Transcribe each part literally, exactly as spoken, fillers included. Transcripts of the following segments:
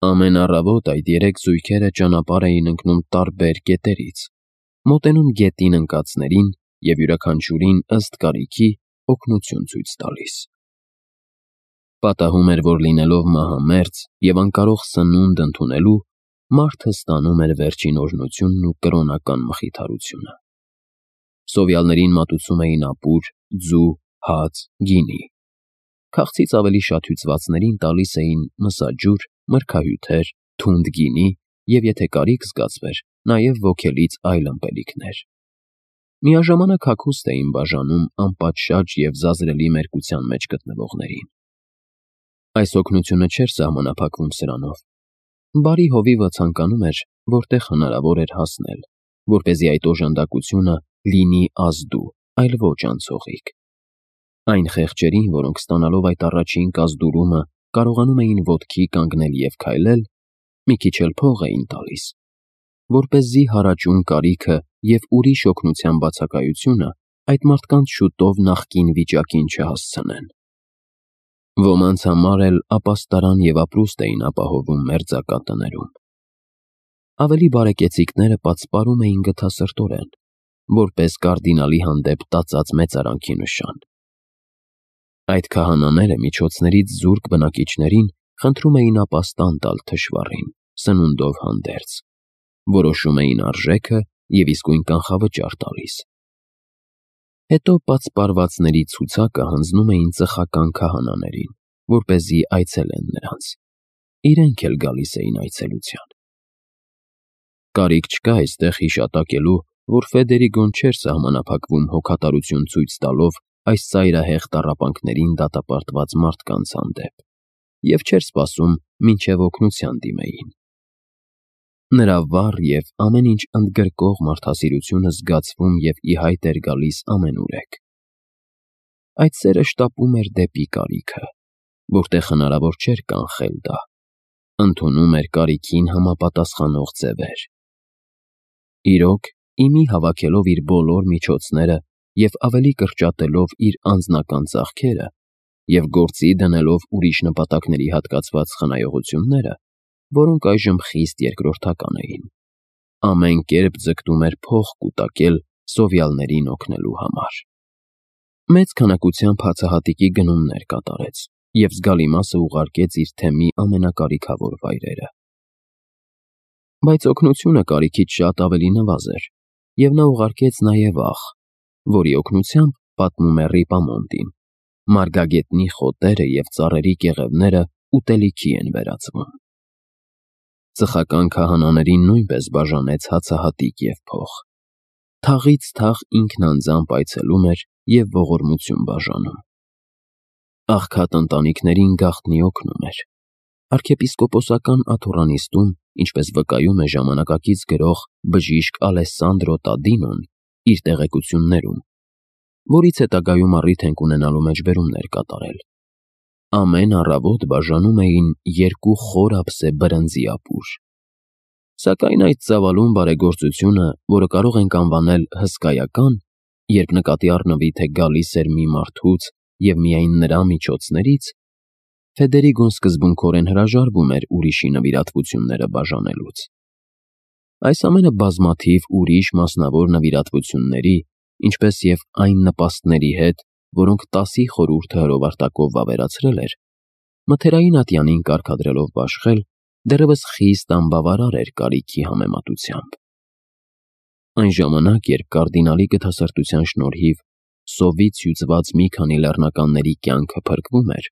Ամեն առավոտ այդ երեք զույգերը ճանապարհ էին ընկնում տարբեր կետերից, մոտենում գետին ընկածներին և յուրաքանչյուրին ըստ կարիքի օգնություն ցույց տալիս։ Պատահում էր, որ լինելով մահամերձ և անկարող սնունդ ընդունելու, մարդը ստանում էր վերջին օրհնությունն ու կրոնական մխիթարությունը։ Սովյալներին մատուցում էին ապուր, ձու, հաց, գինի։ Քաղցից ավելի շատ հյուծվածներին տալիս էին մսաջուր, մրգահյութեր, թունդ գինի և, եթե կարիք զգացվեր, նաև ոգելից այլ ըմպելիքներ։ Միաժամանակ հագուստ էին բաժանում անպատշաճ և զազրելի մերկության մեջ գտնվողներին։ Այս օգնությունը չէր սահմանափակվում սրանով։ Բարի հովիվը ցանկանում էր, որտեղ հնարավոր էր հասնել, որպեսզի այդ օժանդակությունը լինի ազդու, այլ ոչ անցողիկ։ Այն խեղճերին, որոնք ստանալով այդ առաջին կազդուրումը կարողանում էին ոտքի կանգնել և քայլել, մի քիչ էլ փող էին տալիս, որպեսզի հարաճուն կարիքը և ուրիշ օգնության բացակայությունը այդ մարդկանց շուտով նախկին վիճակին չհասցնեն։ Ոմանց համար էլ ապաստարան և ապրուստ էին ապահովում մերձակա տներում։ Ավելի բարեկեցիկները պատսպարում էին գթասրտորեն, որպես կարդինալի հանդեպ տածած մեծարանքի նշան։ Այդ քահանաները միջոցներից զուրկ բնակիչներին խնդրում էին ապաստան տալ թշվառին, սնունդով հանդերձ, որոշում էին արժեքը և իսկույն կանխավճար տալիս։ Հետո պատսպարվածների ցուցակը հանձնում էին ծխական քահանաներին, որպեսզի այցելեն նրանց։ Իրենք էլ գալիս էին այցելության։ Կարիք չկա այստեղ հիշատակելու, որ Ֆեդերիկոն չէր սահմանափակվում հոգատարություն ցույց տալով այս ծայրահեղ տառապանքներին դատապարտված մարդկանց հանդեպ և չէր սպասում, մինչև օգնության դիմեին։ Նրա վառ և ամեն ինչ ընդգրկող մարդասիրությունը զգացվում և ի հայտ էր գալիս ամենուրեք։ Այդ սերը շտապում էր դեպի կարիքը, որտեղ հնարավոր չէր կանխել դա, ընդունում էր կարիքին համապատասխանող ձևեր։ Իրոք, ի մի հավաքելով իր բոլոր միջոցները և ավելի կրճատելով իր անձնական ծախքերը և գործի դնելով ուրիշ նպատակների հատկացված խնայողությունները, որոնք այժմ խիստ երկրորդական էին, ամեն կերպ ձգտում էր փող կուտակել սովյալներին օգնելու համար։ Մեծ քանակությամբ հացահատիկի գնումներ կատարեց և զգալի մասը ուղարկեց իր թեմի ամենակարիքավոր վայրերը։ Բայց օգնությունը կարիքից շատ ավելի նվազ էր, և նա ուղարկեց նաև աղ, որի օգնությամբ, պատմում է Ռիպամոնտին, մարգագետնի խոտերը և ծառերի կեղևները ուտելիքի են վերածվում։ Ծխական քահանաներին նույնպես բաժանեց հացահատիկ և փող։ Թաղից թաղ ինքն անձամբ այցելում էր և ողորմություն բաժանում։ Աղքատ ընտանիքներին գաղտնի օգնում էր։ Արքեպիսկոպոսական աթոռանիստում, ինչպես վկայում է ժամանակակից գրող բժիշկ Ալեսանդրո Տադինոն իր տեղեկություններում, որից հետագայում առիթ ենք ունենալու մեջբերումներ կատարել, ամեն առավոտ բաժանում էին երկու խոր ափսե բրնձի ապուր։ Սակայն այդ ծավալուն բարեգործությունը, որը կարող ենք անվանել հսկայական, երբ նկատի առնվի, թե գալիս էր մի մարդուց և միայն նրա միջոցներից, Ֆեդերիկոն սկզբունքորեն հրաժարվում էր ուրիշի նվիրատվությունները բաժանելուց։ Այս ամենը բազմաթիվ ուրիշ մասնավոր նվիրատվությունների, ինչպես և այն նպաստների հետ, որոնք տասի խորհուրդը հրովարտակով վավերացրել էր, մթերային ատյանին կարգադրելով բաշխել, դեռևս խիստ անբավարար էր կարիքի համեմատությամբ։ Այն ժամանակ, երբ կարդինալի գթասրտության շնորհիվ սովից հյուծված մի քանի լեռնականների կյանքը փրկվում էր,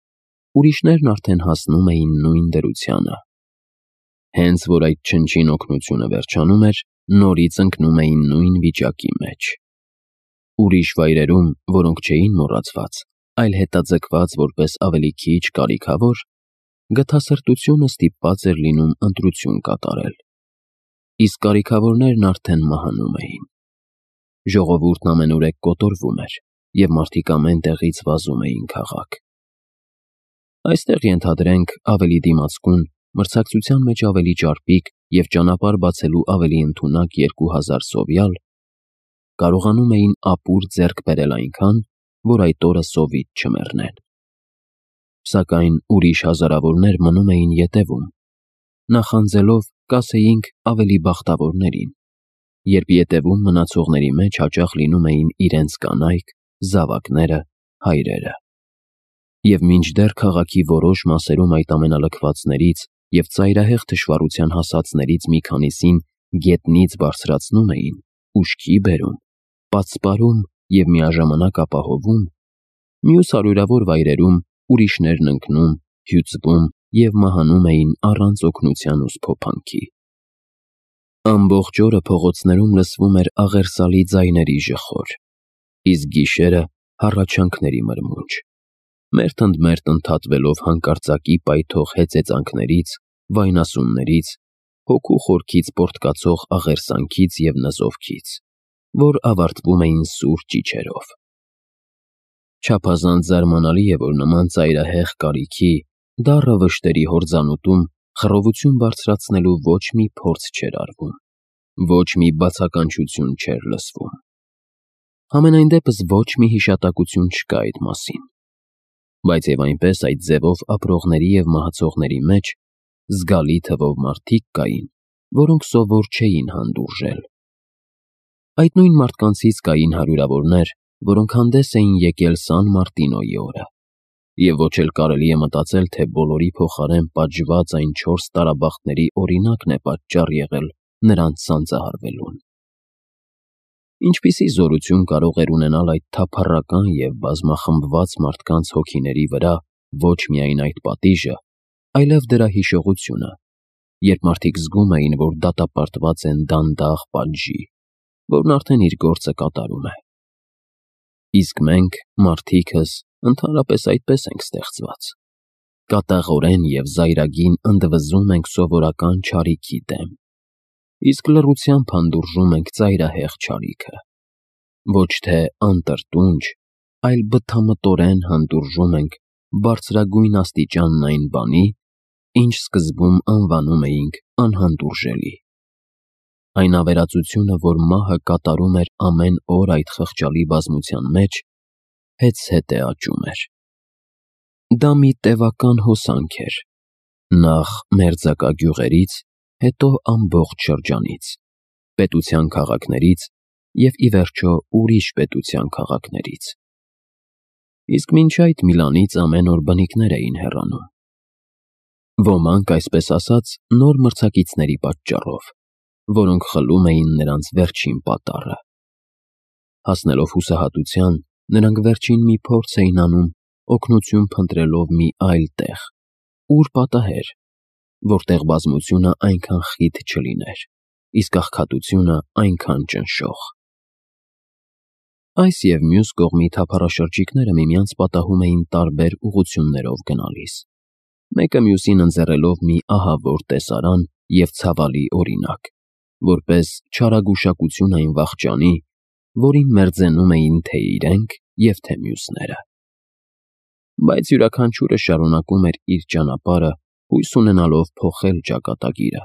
ուրիշներն արդեն հասնում էին նույն դրությանը։ Հենց որ այդ չնչին օգնությունը վերջանում էր, նորից ընկնում էին նույն վիճակի մեջ։ Ուրիշ վայրերում, որոնք չէին մոռացված, այլ հետաձգված որպես ավելի քիչ կարիքավոր, գթասրտությունը ստիպված էր լինում ընտրություն կատարել, իսկ կարիքավորներն արդեն մահանում էին։ Ժողովուրդն ամենուրեք կոտորվում էր, և մարդիկ ամեն տեղից վազում էին քաղաք։ Այստեղ, ենթադրենք, ավելի դիմացկուն, մրցակցության մեջ ավելի ճարպիկ և ճանապարհ բացելու ավելի ընդունակ երկու հազար սովյալ կարողանում էին ապուր ձեռք բերել այնքան, որ այդ օրը սովից չմեռնեն։ Սակայն ուրիշ հազարավորներ մնում էին ետևում, նախանձելով կասեինք ավելի բախտավորներին, երբ ետևում մնացողների մեջ հաճախ լինում էին իրենց կանայք, զավակները, հայրերը։ Եվ մինչդեռ քաղաքի որոշ մասերում այդ ամենալքվածներից և ծայրահեղ թշվառության հասածներից մի քանիսին գետնից բարձրացնում էին, ուշքի բերում, պատսպարում և միաժամանակ ապահովում, մյուս հարյուրավոր վայրերում ուրիշներն ընկնում, հյուծվում և մահանում էին առանց օգնության ու սփոփանքի։ Ամբողջ օրը փողոցներում լսվում էր աղերսալի ձայների ժխոր, իսկ գիշերը հառաչանքների մրմունջ, մերթ ընդ մերթ ընդհատվելով հանկարծակի պայթող հեծեծանքներից, վայնասուններից, հոգու խորքից պոռթկացող աղերսանքից և նզովքից, որ ավարտվում էին սուր ճիչերով։ Չափազանց զարմանալի է, որ նման ծայրահեղ կարիքի, դառը վշտերի հորձանուտում խռովություն բարձրացնելու ոչ մի փորձ չէր արվում, ոչ մի բացականչություն չէր լսվում։ Համենայն դեպս ոչ մի հիշատակություն չկա այդ մասին։ Բայց և այնպես այդ ձևով ապրողների և մահացողների մեջ զգալի թվով մարդիկ կային, որոնք սովոր չէին հանդուրժել։ Այդ նույն մարդկանցից կային հարյուրավորներ, որոնք հանդես էին եկել Սան Մարտինոյի օրը, և ոչ էլ կարելի է մտածել, թե բոլորի փոխարեն պատժված այն չորս տարաբախտների օրինակն է պատճառ եղել նրանց սանձահարվելուն։ Ինչպիսի զորություն կարող էր ունենալ այդ թափառական և բազմախմբված մարդկանց հոգիների վրա ոչ միայն այդ պատիժը, այլև դրա հիշողությունը, երբ մարդիկ զգում էին, որ դատապարտված են դանդաղ պատժի, որն արդեն իր գործը կատարում է։ Իսկ մենք, մարդիկս, ընդհանրապես այդպես ենք ստեղծված։ Կատաղորեն և զայրագին ընդվզում ենք սովորական չարիքի դեմ, իսկ լռությամբ հանդուրժում ենք ծայրահեղ չարիքը։ Ոչ թե անտրտունջ, այլ բթամտորեն հանդուրժում ենք բարձրագույն աստիճանն այն բանի, ինչ սկզբում անվանում էինք անհանդուրժելի։ Այն ավերածությունը, որ մահը կատարում էր ամեն օր այդ խղճալի բազմության մեջ, հեծհետ է աճում էր։ Դա մի տևական հոսանք էր, նախ մերձակա գյուղերից, հետո ամբողջ շրջանից, պետության քաղաքներից և ի վերջո ուրիշ պետության քաղաքներից։ Իսկ մինչ այդ Միլանից ամեն օր բնիկներ էին հեռանում։ Ոմանք, այսպես ասած, նոր մրցակիցների պատճառով, որոնք խլում էին նրանց վերջին պատառը։ Հասնելով հուսահատության, նրանք վերջին մի փորձ էին անում օգնություն փնտրելով մի այլ տեղ, ուր պատահեր, որտեղ բազմությունը այնքան խիտ չլիներ, իսկ աղքատությունը այնքան ճնշող։ Այս և մյուս կողմի թափառաշրջիկները միմյանց պատահում էին տարբեր ուղղություններով գնալիս, մեկը մյուսին ընձեռելով մի ահավոր տեսարան և ցավալի օրինակ, որպես չարագուշակություն այն վախճանի, որին մերձենում էին թե իրենք և թե մյուսները։ Բայց յուրաքանչյուրը շարունակում էր իր ճանապարհը, հույս ունենալով փոխել ճակատագիրը,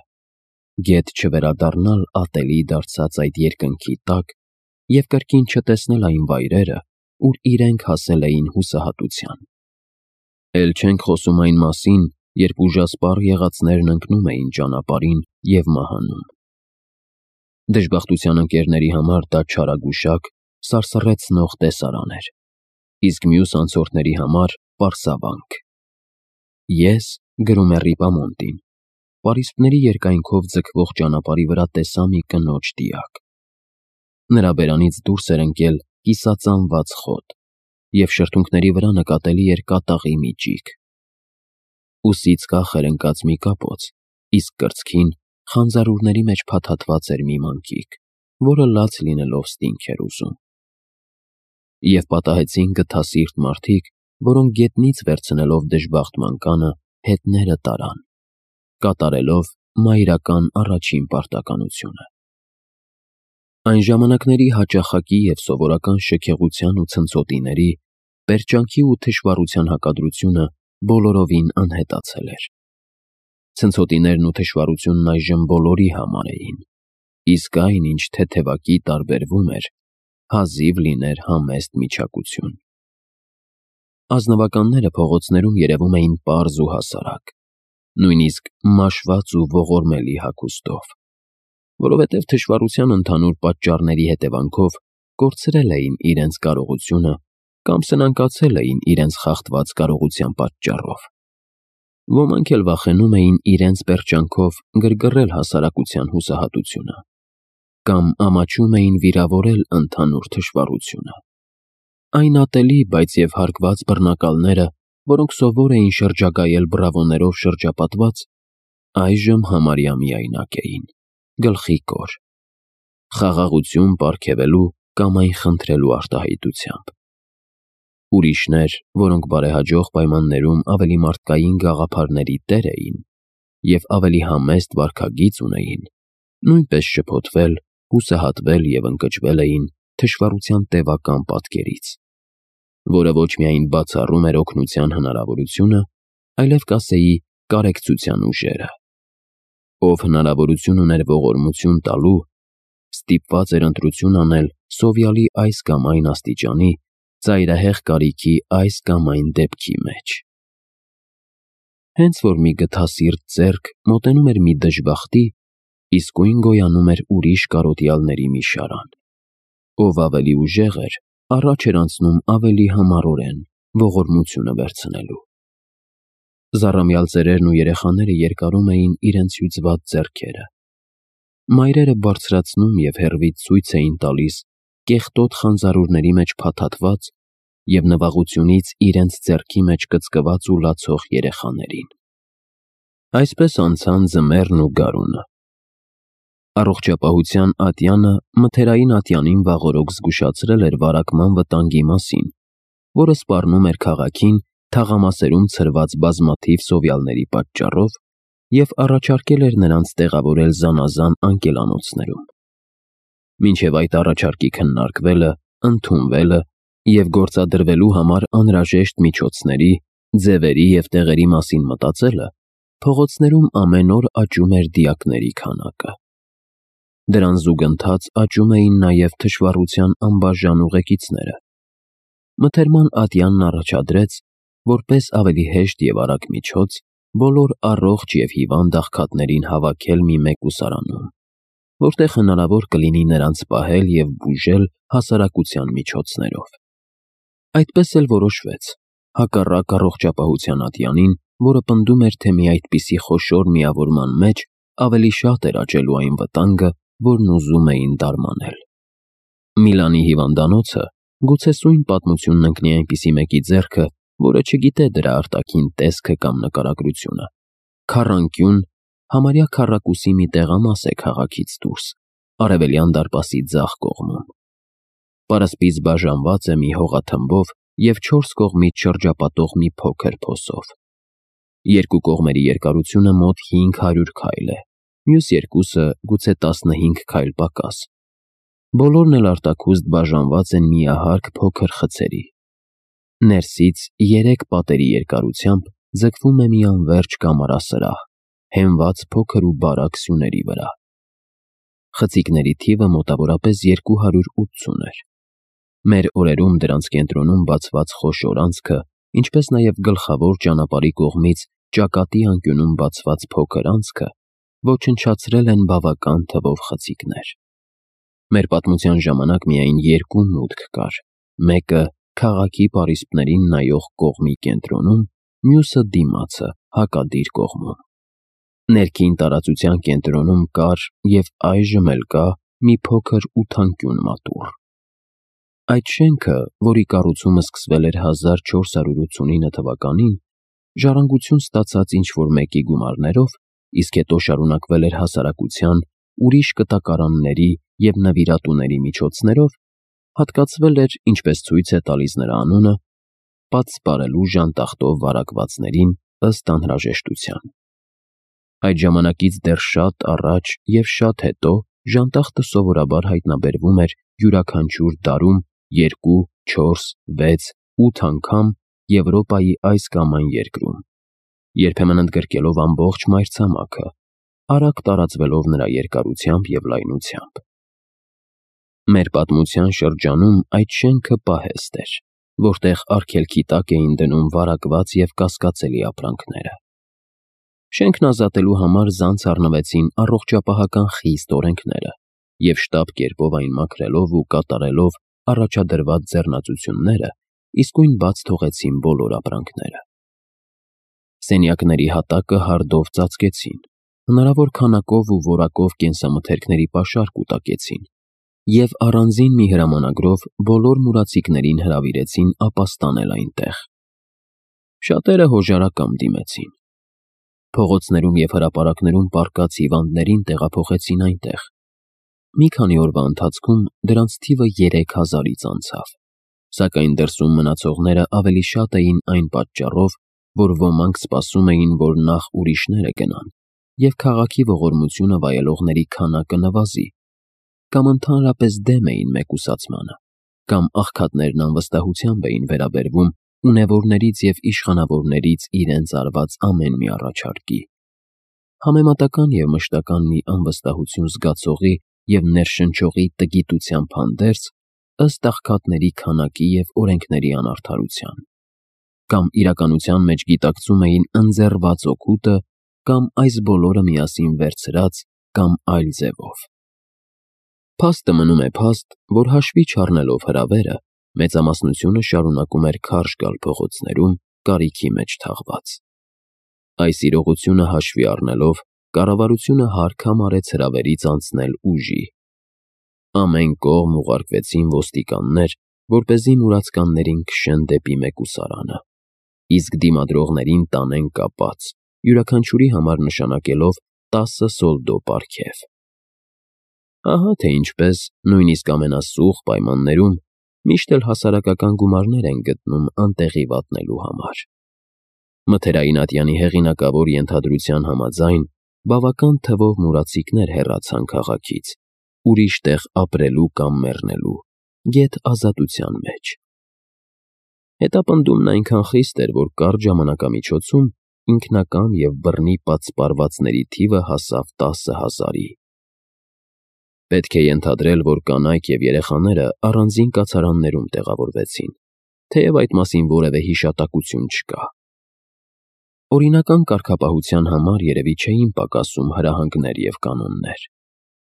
գեթ չվերադառնալ ատելի դարձած այդ երկնքի տակ և կրկին չտեսնել այն վայրերը, ուր իրենք հասել էին հուսահատության։ Էլ չենք խոսում այն մասին, երբ ուժասպառ եղածներն ընկնում էին ճանապարհին և մահանում։ Դժբախտության ընկերների համար դա չարագուշակ, սարսռեցնող տեսարան էր, իսկ մյուս անցորդների համար պարսավանք։ Ես, գրում է Ռիպամոնտին, պարիսպների երկայնքով ձգվող ճանապարհի վրա տեսա մի կնոջ դիակ։ Նրա բերանից դուրս էր ընկել կիսածանված խոտ, և շրթունքների վրա նկատելի էր կատաղի մի ճիգ։ Ուսից կախ էր ընկած մի կապոց, իսկ կրծքին խանձարուրների մեջ փաթաթված էր մի մանկիկ, որը լաց լինելով ստինք էր ուզում։ Եվ պատահեցին գթասիրտ մարդիկ, որոնք գետնից վերցնելով դժբախտ մանկանը հետները տարան, կատարելով մայրական առաջին պարտականությունը։ Այն ժամանակների հաճախակի և սովորական շքեղության ու ցնցոտիների, պերճանքի ու թշվառության հակադրությունը բոլորովին անհետացել էր։ Ցնցոտիներն ու թշվառությունն այժմ բոլորի համար էին, իսկ այն, ինչ թեթևակի տարբերվում էր, հազիվ լիներ համեստ միչակություն։ Ազնվականները փողոցներում երևում էին պարզ ու հասարակ, նույնիսկ մաշված ու ողորմելի հագուստով, որովհետև թշվառության ընդհանուր պատճառների հետևանքով կորցրել էին իրենց կարողությունը կամ սնանկացել էին իրենց խախտված կարողության պատճառով։ Ոմանք էլ վախենում էին իրենց պերճանքով գրգռել հասարակության հուսահատությունը կամ ամաչում էին վիրավորել ընդհանուր թշվառությունը։ Այն ատելի, բայց և հարգված բռնակալները, որոնք սովոր էին շրջագայել բրավոներով շրջապատված, այժմ համարյա միայնակ էին, գլխի կոր, խաղաղություն պարգևելու կամ այն խնդրելու արտահայտությամբ։ Ուրիշներ, որոնք բարեհաջող պայմաններում ավելի մարդկային գաղափարների տեր էին և ավելի համեստ վարքագիծ ունեին, նույնպես շփոթվել, հուսահատվել և ընկճվել էին թշվառության տևական պատկերից, որը ոչ միայն բացառում էր օգնության հնարավորությունը, այլև կասեի կարեկցության ուժերը։ Ով հնարավորություն ուներ ողորմություն տալու, ստիպված էր ընտրություն անել սովյալի այս կամ այն աստիճանի, ծայրահեղ կարիքի այս կամ այն դեպքի մեջ։ Հենց որ մի գթասիրտ ձեռք մոտենում էր մի դժբախտի, իսկույն գոյանում էր ուրիշ կարոտյալների մի շարան, ով ավելի ուժեղ էր, առաջ էր անցնում ավելի համառորեն ողորմությունը վերցնելու։ Զառամյալ ծերերն ու երեխաները երկարում էին իրենց հյուծված ձեռքերը։ Մայրերը բարձրացնում և հեռվից ցույց էին տալիս կեղտոտ խանձարուրների մեջ փաթաթված և նվաղությունից իրենց ձեռքի մեջ կծկված ու լացող երեխաներին։ Այսպես անցան ձմեռն ու գարունը։ Առողջապահության ատյանը մթերային ատյանին վաղօրոք զգուշացրել էր վարակման վտանգի մասին, որը սպառնում էր քաղաքին թաղամասերում ցրված բազմաթիվ սովյալների պատճառով և առաջարկել էր նրանց տեղավորել զանազան անկելանոցներում։ Մինչև այդ առաջարկի քննարկվելը, ընդունվելը և գործադրվելու համար անհրաժեշտ միջոցների, ձևերի և տեղերի մասին մտածելը, փողոցներում ամեն օր աճում էր դիակների քանակը։ Դրան զուգընթաց աճում էին նաև թշվառության անբաժան ուղեկիցները։ Մթերման ատյանն առաջադրեց, որպես ավելի հեշտ և արագ միջոց, բոլոր առողջ և հիվանդ աղքատներին հավաքել մի մեկուսարանում, որտեղ հնարավոր կլինի նրանց պահել և բուժել հասարակության միջոցներով։ Այդպես էլ որոշվեց, հակառակ առողջապահության ատյանին, որը պնդում էր, թե մի այդպիսի խոշոր միավորման մեջ ավելի շատ էր աճելու այն վտանգը, որն ուզում էին դարմանել։ Միլանի հիվանդանոցը գուցե սույն պատմությունն ընկնի այնպիսի մեկի ձեռքը, որը չգիտե դրա արտաքին տեսքը կամ նկարագրությունը։ Քառանկյուն, համարյա քառակուսի մի տեղամաս է քաղաքից դուրս, արևելյան դարպասի ձախ կողմում։ Պարսպից բաժանված է մի հողաթմբով և չորս կողմից շրջապատող մի փոքր փոսով։ Երկու կողմերի երկարությունը մոտ հինգ հարյուր քայլ է, մյուս երկուսը գուցե տասնհինգ քայլ պակաս։ Բոլորն էլ արտաքուստ բաժանված են միահարկ փոքր խցերի։ Ներսից երեք պատերի երկարությամբ ձգվում է մի անվերջ կամարասրահ, հենված փոքր ու բարակ սյուների վրա։ Խցիկների թիվը մոտավորապես երկու հարյուր ութսուն էր։ Մեր օրերում դրանց կենտրոնում բացված խոշոր անցքը, ինչպես նաև գլխավոր ճանապարհի կողմից ճակատի անկյունում բացված փոքր անցքը ոչնչացրել են բավական թվով խցիկներ։ Մեր պատմության ժամանակ միայն երկու մուտք կար, մեկը քաղաքի պարիսպներին նայող կողմի կենտրոնում, մյուսը դիմացը հակադիր կողմում։ Ներքին տարածության կենտրոնում կար և այժմ էլ կա մի փոքր ութանկյուն մատուռ։ Այդ շենքը, որի կառուցումը սկսվել էր հազար չորս հարյուր ութսունինը թվականին, ժառանգություն ստացած ինչ-որ մեկի գումարներով, իսկ հետո շարունակվել էր հասարակության ուրիշ կտակարանների և նվիրատուների միջոցներով, հատկացվել էր, ինչպես ցույց է տալիս նրա անունը, պատսպարելու ժանտախտով վարակվածներին ըստ անհրաժեշտության։ Այդ ժամանակից դեռ շատ առաջ և շատ հետո ժանտախտը սովորաբար հայտնաբերվում էր յուրաքանչյուր դարում երկու, չորս, վեց, ութ անգամ Եվրոպայի այս կամ այն երկրում, երբեմն ընդգրկելով ամբողջ մայրցամաքը, արագ տարածվելով նրա երկարությամբ և լայնությամբ։ Մեր պատմության շրջանում այդ շենքը պահեստ էր, որտեղ արգելքի տակ էին դնում վարակված և կասկածելի ապրանքները։ Շենքն ազատելու համար զանց առնվեցին առողջապահական խիստ օրենքները և շտապ կերպով այն մաքրելով ու կատարելով առաջադրված ձեռնածությունները, իսկույն բաց թողեցին բոլոր ապրանքները։ Սենյակների հատակը հարդով ծածկեցին, հնարավոր քանակով ու որակով կենսամթերքների պաշար կուտակեցին և առանձին մի հրամանագրով բոլոր մուրացիկներին հրավիրեցին ապաստանել այնտեղ։ Շատերը հոժարակամ դիմեցին։ Փողոցներում և հրապարակներում պառկած հիվանդներին տեղափոխեցին այնտեղ։ Մի քանի օրվա ընթացքում դրանց թիվը երեք հազարից անցավ, սակայն դրսում մնացողները ավելի շատ էին այն պատճառով, որ ոմանք սպասում էին, որ նախ ուրիշները գնան և քաղաքի ողորմությունը վայելողների քանակը նվազի, կամ ընդհանրապես դեմ էին մեկուսացմանը, կամ աղքատներն անվստահությամբ էին վերաբերվում ունևորներից և իշխանավորներից իրենց արված ամեն մի առաջարկի։ Համեմատական և մշտական մի անվստահություն զգացողի և ներշնչողի տգիտությամբ հանդերձ, ըստ աղքատների քանակի և օրենքների անարդարության, կամ իրականության մեջ գիտակցում էին ընձեռված օգուտը, կամ այս բոլորը միասին վերցրած, կամ այլ ձևով։ Փաստը մնում է փաստ, որ հաշվի չառնելով հրավերը, մեծամասնությունը շարունակում էր քարշ գալ փողոցներում կարիքի մեջ թաղված։ Այս իրողությունը հաշվի առնելով, կառավարությունը հարկ համարեց հրավերից անցնել ուժի։ Ամեն կողմ ուղարկվեցին ոստիկաններ, որպեսզի մուրացկաններին քշեն դեպի մեկուսարանը, իսկ դիմադրողներին տանեն կապած, յուրաքանչյուրի համար նշանակելով տասը սոլդո պարգև։ Ահա թե ինչպես, նույնիսկ ամենասուղ պայմաններում, միշտ էլ հասարակական գումարներ են գտնում անտեղի վատնելու համար։ Մթերային ատյանի հեղինակավոր ենթադրության համաձայն, բավական թվով մուրացիկներ հեռացան քաղաքից, ուրիշ տեղ ապրելու կամ մեռնելու, գեթ ազատության մեջ։ Հետապնդումն այնքան խիստ էր, որ կարճ ժամանակամիջոցում ինքնակամ և բռնի պատսպարվածների թիվը հասավ տասը հազարի։ Պետք է ենթադրել, որ կանայք և երեխաները առանձին կացարաններում տեղավորվեցին, թեև այդ մասին որևէ հիշատակություն չկա։ Օրինական կարգապահության համար երևի չէին պակասում հրահանգներ և կանոններ,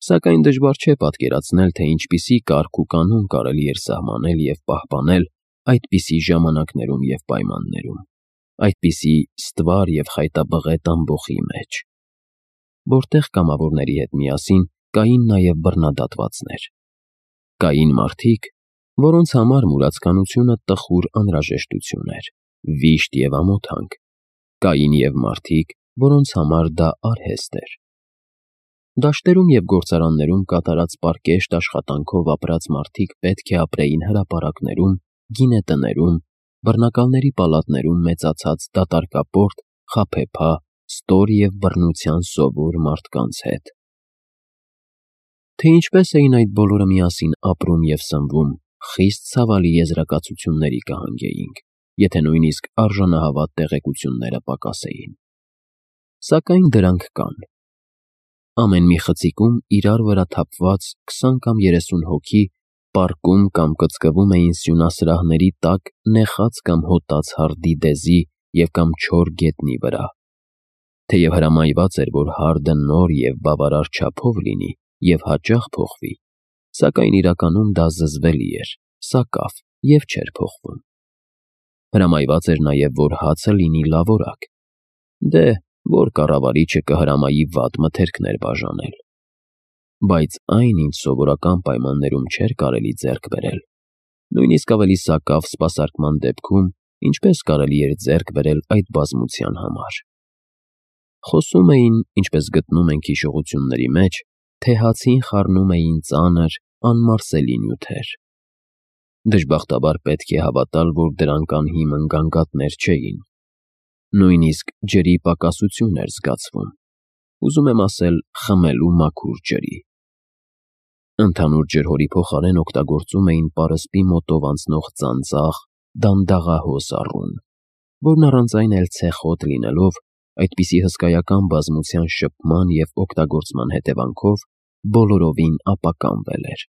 սակայն դժվար չէ պատկերացնել, թե ինչպիսի կարգ ու կանոն կարելի էր սահմանել և պահպանել այդպիսի ժամանակներում և պայմաններում, այդպիսի ստվար և խայտաբղետ ամբոխի մեջ, որտեղ կամավորների հետ միասին կային նաև բռնադատվածներ։ Կային մարդիկ, որոնց համար մուրացկանությունը տխուր անհրաժեշտություն էր, վիշտ և ամոթանք, կային և մարդիկ, որոնց համար դա արհեստ էր։ Դաշտերում և գործարաններում կատարած պարկեշտ աշխատանքով ապրած մարդիկ պետք է ապրեին հրապարակներում, գինետներում, բռնակալների պալատներում մեծացած դատարկապորտ, խաբեբա, ստոր և բռնության սովոր մարդկանց հետ։ Թե ինչպես էին այդ բոլորը միասին ապրում և սնվում, խիստ ցավալի եզրակացությունների կհանգեինք, եթե նույնիսկ արժանահավատ տեղեկությունները պակասեին։ Սակայն դրանք կան։ Ամեն մի խցիկում իրար վրա թափված քսան կամ երեսուն հոգի պառկում կամ կծկվում էին սյունասրահների տակ նեխած կամ հոտած հարդի դեզի և կամ չոր գետնի վրա։ Թեև հրամայված էր, որ հարդը նոր և բավարար չափով լինի և հաճախ փոխվի, սակայն իրականում դա զզվելի էր, սակավ և չէր փոխվում։ Հրամայված էր նաև, որ հացը լինի լավորակ։ Դե, որ կառավարիչը կհրամայի վատ մթերքներ բաժանել։ Բայց այն, ինչ սովորական պայմաններում չէր կարելի ձեռք բերել, նույնիսկ ավելի սակավ սպասարկման դեպքում, ինչպես կարելի էր ձեռք բերել այդ բազմության համար։ Խոսում էին, ինչպես գտնում ենք հիշողությունների մեջ, թե հացին խառնում էին ծանր, անմարսելի նյութեր։ Դժբախտաբար պետք է հավատալ, որ դրանք անհիմն գանգատներ չէին։ Նույնիսկ ջրի պակասություն էր զգացվում, ուզում եմ ասել խմելու մաքուր ջրի։ Ընդհանուր ջրհորի փոխարեն օգտագործում էին պարսպի մոտով անցնող ծանծաղ, դանդաղահոս առուն, որն առանց այն էլ ցեխոտ լինելով, այդպիսի հսկայական բազմության շփման և օգտագործման հետևանքով բոլորովին ապականվել էր։